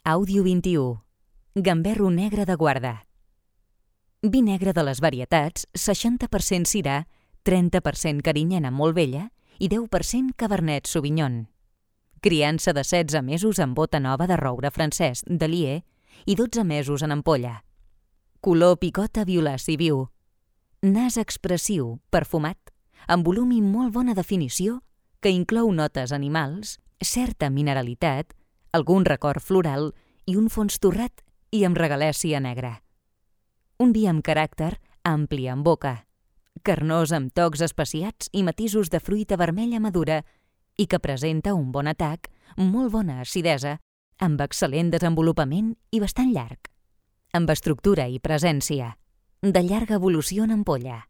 Àudio 21. Gamberro negre de guarda. Vi negre de les varietats, 60% Syrah, 30% Carinyena molt vella i 10% Cabernet Sauvignon. Criança de 16 mesos en bota nova de roure francès de Lier i 12 mesos en ampolla. Color picota violaci viu. Nas expressiu, perfumat, amb volum i molt bona definició que inclou notes animals, certa mineralitat, algun record floral i un fons torrat i amb regalèssia negra. Un vi amb caràcter ampli en boca, carnós amb tocs especiats i matisos de fruita vermella madura i que presenta un bon atac, molt bona acidesa, amb excel·lent desenvolupament i bastant llarg, amb estructura i presència, de llarga evolució en ampolla.